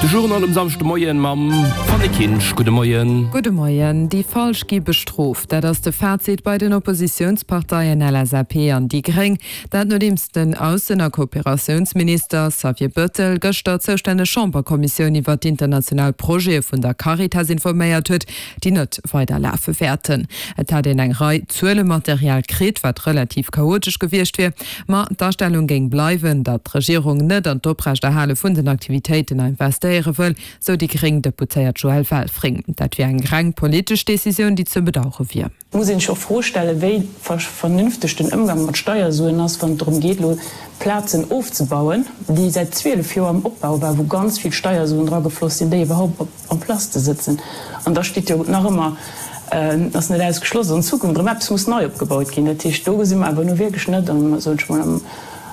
De Journal um Samschdemoien mam Fanny Kinsch. Gudde Moien. Gudde Moien. Déi Falsch gi bestrooft. Dat ass de Fazit bei den Oppositiounsparteien LSAP an déi Gréng. Dat nodeems den Aussen a Kooperatiounsminister Xavier Bettel gëschter d'zoustänneg Chamberkommissioun iwwer d'international Projete vun der Caritas informéiert huet, déi net weider lafe wäerten. Et hätt een eng Rei Zuelematerial kritt, wat relativ chaotesch gewiescht wier. Ma d'Astellung géing bleiwen, datt d'Regierung net an d'Oprechterhale vun den Aktivitéiten investéiere wëll, sou déi gréng Deputéiert Joëlle Welfring. Dat wier eng reng politesch Decisioun, déi ze bedauere wier. Et muss een sech och d'Fro stellen, wéi vernünfteg den Ëmgang mat Steiersuen ass, wann et drëm geet, elo Plazen ofzebauen, déi säit 12 Joer am Opbau waren, wou ganz vill Steiersuen dragefloss sinn, déi iwwerhaupt op en place ze sëtzen. An da steet jo nach ëmmer, ass net ausgeschloss, dass an Zukunft erëm eppes muss nei opgebaut ginn. Dat heescht, do gesi mer awer nu wierklech net am, soen ech mol,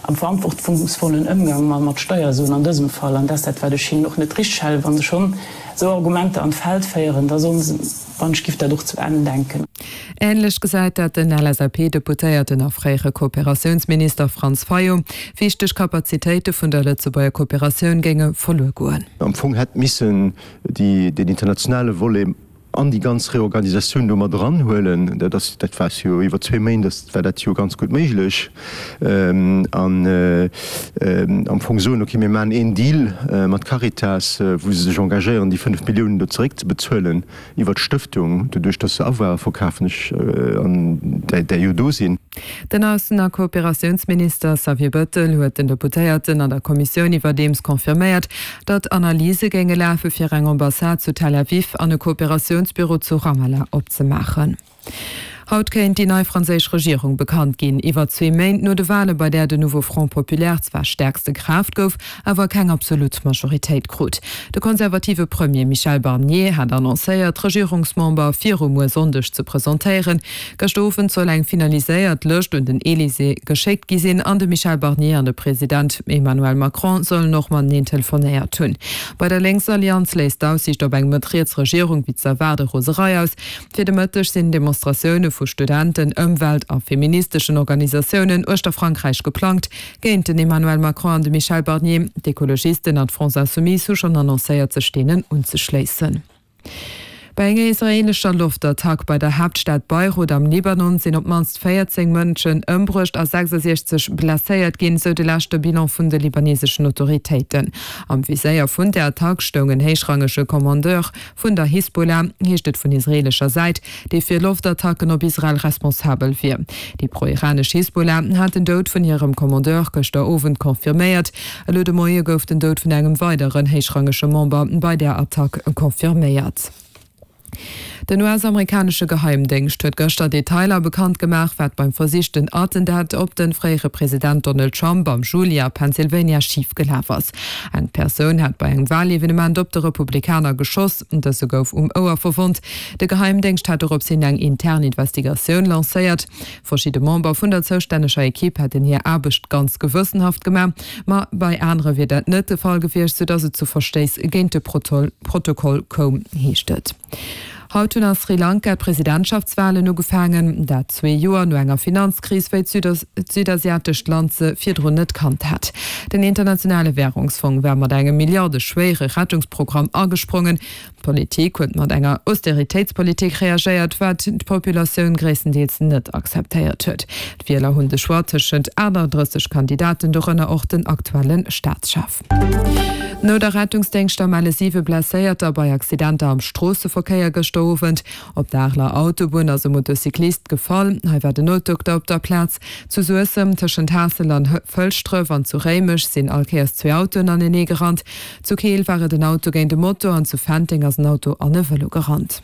am verantwortungsvollen Ëmgang mat Steiersuen an dësem Fall. An dat ass dat, wat ech hinnen och net richteg halen, wa se schonn esou Argumenter an d'Feld féieren, da sollen se, wann ech giff dat och zu Enn denken. Änlech gesäit dat den LSAP-Deputéierten a fréiere Kooperatiounsminister Franz Fayot. Wichteg Kapazitéite vun der Lëtzebuerger Kooperatioun géinge verluer goen. Am Fong hätt missen déi deen internationale Volet an déi ganz Reorganisatioun do mat eranhuelen. Dat ass, dat war jo iwwer zwee Méint ass, war dat jo ganz gutt méiglech. An am Fong soen, okay, mir maachen een Deal mat Caritas, wou se sech engagéieren, déi 5 Milliounen do zeréckzebezuelen iwwer d'Stëftung, doduerch datt se Avoire verkafen, ech, an där, där jo do sinn. Den Aussen a Kooperatiounsminister Xavier Bettel huet den Deputéierten an der Kommissioun iwwerdeems confirméiert, datt Analyse géinge lafe fir eng Ambassade zu Tel Aviv an e Kooperatiounsbüro zu Ramallah opzemaachen. Haut kéint déi nei franséisch Regierung bekannt ginn, iwwer zwee Méint no de Wale bei där de Nouveau Front Populaire zwar stäerkste Kraaft gouf, awer keng absolut Majoritéit krut. De konservative Premier Michel Barnier hat annoncéiert, d'Regierungsmember viru muer Sonndeg ze presentéieren. Gëschter Owend soll eng finaliséiert Lëscht un den Elysée geschéckt gi sinn an de Michel Barnier an de President Emmanuel Macron sollen och mateneen telefonéiert hunn. Bei der Lénksallianz léisst d'Aussiicht op eng mëtt-riets Regierung wéi ze erwaarde Roserei aus. Fir de Mëtteg sinn Demonstratioune vu Studenten, Ëmwelt a feministeschen Organisatiounen uechter Frankräich geplangt, géint den Emmanuel Macron an de Michel Barnier. D'Ekologisten an d'France Insoumise hu schonn annoncéiert, sech deenen unzeschléissen. Bei enger israeelescher Loftattack bei der Haaptstad Beirut am Libanon sinn op d'mannst 14 Mënschen ëmbruecht a 66 blesséiert ginn, sou de leschte Bilan vun de libaneseschen Autoritéiten. Am Viséier vun der Attack stoung en héichrangege Kommandeur Vun der Hisbollah heescht et vun israeelescher Säit, déi fir Loftattacken op Israel responsabel wier. Déi pro-iranesch Hisbollah hat den Doud vun hirem Kommandeur gëschter Owend confirméiert. Elo de Moie gouf den Doud vun engem weideren héichrangege Member bei där Attack confirméiert. Den US-amerikanesche Geheimdéngscht huet gëschter Detailer bekannt gemaach, wat beim versichten Attentat op de fréiere President Donald Trump am Juli a Pennsylvania schif gelaf ass. Eng Persoun hat bei engem Walevenement op de Republikaner geschoss. Dëse gouf um Ouer verwonnt. De Geheimdéngscht hat dorops hin eng intern Investigatioun lancéiert. Verschidde Member vun der zoustänneger Ekipp hätten hir Aarbecht ganz gewëssenhaft gemaach, ma bei anere wier dat net de Fall gewiescht, soudatt et zu Verstéiss géint de Protokoll koum, heescht et. Haut hunn a Sri Lanka d'Presidentschaftswalen ugefaangen, dat zwee Joer no enger Finanzkris, wéi d'südasiatescht Land se virdrun net kannt hat. Den Internationale Wärungsfong war mat engem milliardeschwéiere Rettungsprogramm agesprongen. D'Politik huet mat enger Austeritéitspolitik reagéiert, wat d'Populatioun gréisstendeels net akzeptéiert huet. D'Wieler hunn de Choix tëschent 38 Kandidaten, dorënner och den aktuelle Staatschef. No der Rettungsdéngschter melle siwe Blesséierter bei Accidenter am Stroosseverkéier gëschter Owend. Op der Areler Autobunn ass e Motocyclist gefall. Hei war den Noutdokter op der Plaz. Zu Suessem, tëschent Haassel an Fëlschdref an zu Réimech sinn all Kéiers zwee Autoen anenee gerannt. Zu Keel war et en Auto géint e Moto an zu Fenteng ass en Auto an e Vëlo gerannt.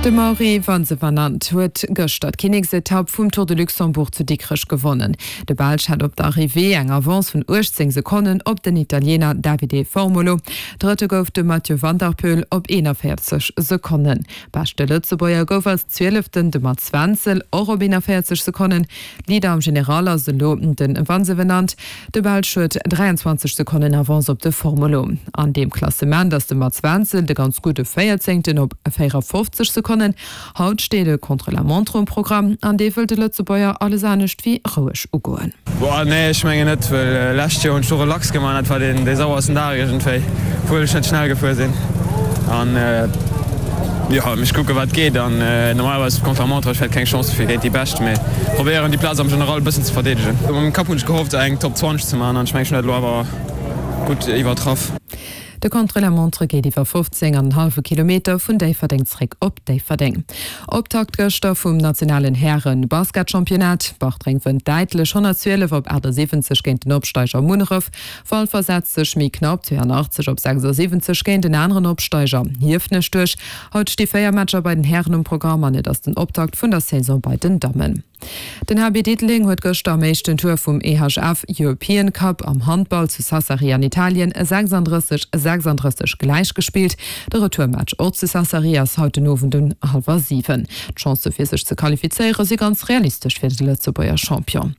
De Mauri Vansevenant huet gëschter d'Kinneksetapp vum Tour de Luxembourg zu Dikrech gewonnen. De Belsch hat op der Arrivée eng Avance vun 18 Sekonnen op den Italiener Davide Formolo. Drëtte gouf de Mathieu van der Poel op 41 Sekonnen. Beschte Lëtzebuerger gouf als Zwieleften de Mats Wenzel, och op 41 Sekonnen. Leader am General ass elo de Vansevenant. De Belsch huet 23 Sekonnen Avance op de Formolo. An deem Klassement ass de Mats Wenzel de ganz gudde Véierzéngten op 54 Sekonnen. Sekonnen. Haut steet e Contre-la-montre um Programm an dee wëll de Lëtzebuerger alles anescht wéi roueg ugoen. Boah nee ech mengen net, well lescht Joer hunn ech do relax gemaach an dat war deen dee sauersten Dag iergendwéi, obwuel ech net schnell gefuer sinn an jo mech kucke wat geet an normalerweis Contre-la-montre ech hätt keng Chance fir géint déi Bescht mee probéieren déi Plaz am General e bëssen ze verdeedegen. A mengem Kapp hunn ech gehofft eng Top 20 ze maachen an ech mengen ech hunn dat elo awer gutt iwwertraff. De Contre-la-montre geet iwwer 15 an en hallwe Kilometer vun Déifferdeng zréck op Déifferdeng. Optakt gëschter vum nationalen Häre-Basketchampionnat. Bartreng wënnt däitlech 112 op 78 géint den Opsteiger Munneref. Walfer setzt sech méi knapp 82 op 76 géint en aneren Opsteiger Hiefenech duerch. Haut sti 4 Matcher bei den Hären um Programm an et ass den Optakt vun der Saison bei den Dammen. Den HB Diddeleng huet gëschter am éischten Tour vum EHF European Cup am Handball zu Sassari an Italien 36, 36 gläichgespillt. De Retourmatch och zu Sassari ass haut den Owend un hallwer 7. D'Chancë fir sech ze qualifizéiere si ganz realistesch fir de Lëtzebuerger Champion.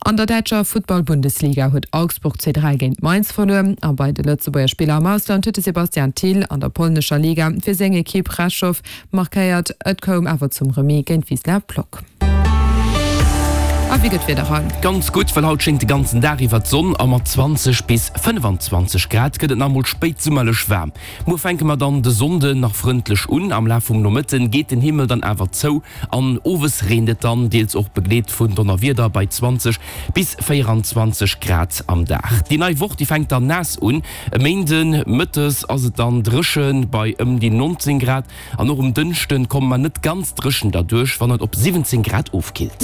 An der däitscher Futtball-Bundesliga huet Augsburg 2, 3 géint Mainz verluer a bei de Lëtzebuerger Spiller am Ausland huet de Sebastian Thill an der polnescher Liga fir seng Ekipp Rzeszow Markéiert. Et koum awer zum Remis géint Wisla Plock. A wéi gëtt d'Wieder haut? Ganz gutt, well haut schéngt de ganzen Dag iwwer d'Sonn a mat 20 bis 25 Grad gëtt et nach emol spéitsummerlech waarm. Muer fänke mer dann de Sonnden nach frëndlech un, am Laf vum Nomëtten geet den Himmel dann awer zou an owes reent et dann, deels och begleet vun Donnerwieder bei 20 bis 24 Grad am Dag. Déi nei Woch déi fänkt dann naass un, E Méinden mëttes ass et dann dréche bei ëm déi 19 Grad an och um Dënschde komme mer net ganz dréchen derduerch, wann et op 17 Grad ofkillt.